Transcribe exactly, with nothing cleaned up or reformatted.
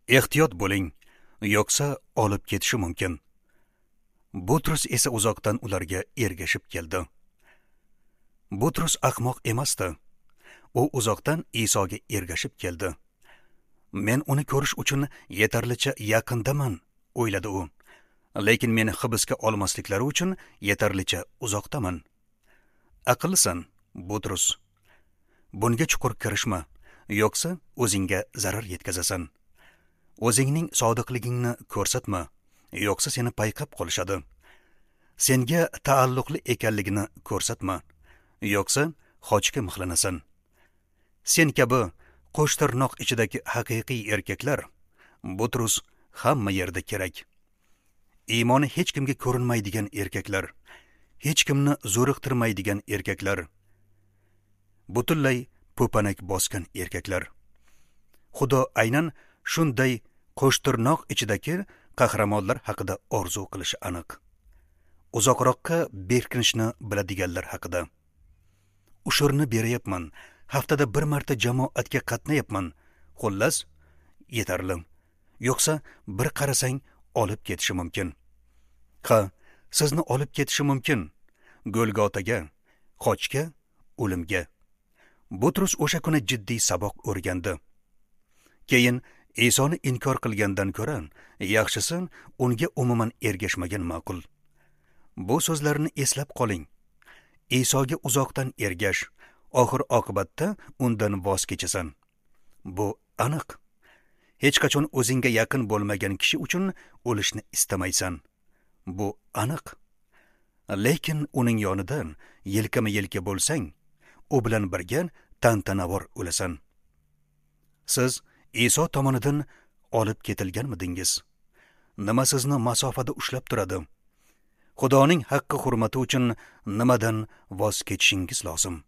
Ehtiyot bo'ling, yo'qsa olib ketishi mumkin. Butrus esa uzoqdan ularga ergashib keldi. Butrus ahmoq emasdi. U uzoqdan Isoga ergashib keldi. Men uni ko'rish uchun yetarlicha yaqindaman, o'yladi u. Lekin meni hibsga olmasliklari uchun yetarlicha uzoqdaman. Aqllisan, Butrus. Bunga chuqur kirishma, yo'qsa o'zingga zarar yetkazasan. O'zingning sodiqligingni ko'rsatma, yo'qsa seni payqab qolishadi. Senga taalluqli ekanligini ko'rsatma, yo'qsa xochga mixlanasan. Sen kabi qo'shtirnoq ichidagi haqiqiy erkaklar, Butrus, hamma yerda kerak. Iymoni hech kimga ko'rinmaydigan erkaklar, hech kimni zo'riqtirmaydigan erkaklar, butunlay po'panak bosgan erkaklar. Xudo aynan shunday qo'shtirnoq ichidagi qahramonlar haqida orzu qilishi aniq. Uzoqroqqa berkinishni biladiganlar haqida. Ushurni beryapman, haftada bir marta jamoatga qatnayapman. Xullas, yetarli. Yo'qsa bir qarasang olib ketishi mumkin. Ha, sizni olib ketishi mumkin. Golgotaga, xochga, o'limga. Butrus o'sha kuni jiddiy saboq o'rgandi. Keyin Isoni inkor qilgandan ko'ra, yaxshisi unga umuman ergashmagan ma'qul. Bu so'zlarni eslab qoling. Isoga uzoqdan ergash, oxir oqibatda undan voz kechasan. Bu aniq. Hech qachon o'zingga yaqin bo'lmagan kishi uchun o'lishni istamaysan. Bu aniq. Lekin uning yonidan yelkama-yelka bo'lsang, u bilan birga tantanavor o'lasan. Siz Iso tomonidan olib ketilganmidingiz? Nima sizni masofada ushlab turadi? Xudoning haqqi hurmati uchun nimadan voz kechishingiz lozim?